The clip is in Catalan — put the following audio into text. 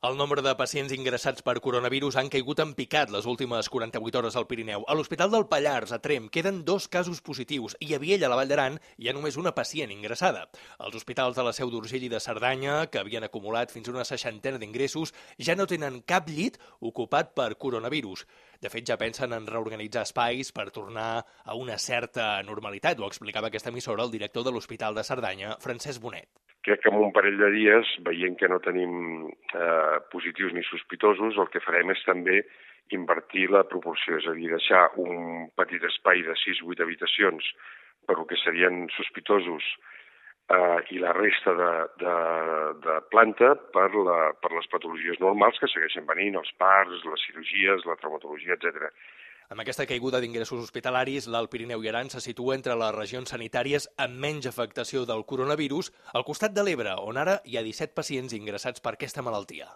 El nombre de pacients ingressats per coronavirus han caigut en picat les últimes 48 hores al Pirineu. A l'Hospital del Pallars, a Tremp, queden 2 casos positius i a Viella, a la Vall d'Aran, hi ha només una pacient ingressada. Els hospitals de la Seu d'Urgell i de Cerdanya, que havien acumulat fins a una 60ena d'ingressos, ja no tenen cap llit ocupat per coronavirus. De fet, ja pensen en reorganitzar espais per tornar a una certa normalitat. Ho explicava aquesta emissora el director de l'Hospital de Cerdanya, Francesc Bonet. Crec que en un parell de dies, veient que no tenim positius ni sospitosos, el que farem és també invertir la proporció, és a dir, deixar un petit espai de 6-8 habitacions per el que serien sospitosos i la resta de planta per les patologies normals que segueixen venint, els parts, les cirurgies, la traumatologia, etc. Amb aquesta caiguda d'ingressos hospitalaris, l'Alt Pirineu i Aran se situa entre les regions sanitàries amb menys afectació del coronavirus, al costat de l'Ebre, on ara hi ha 17 pacients ingressats per aquesta malaltia.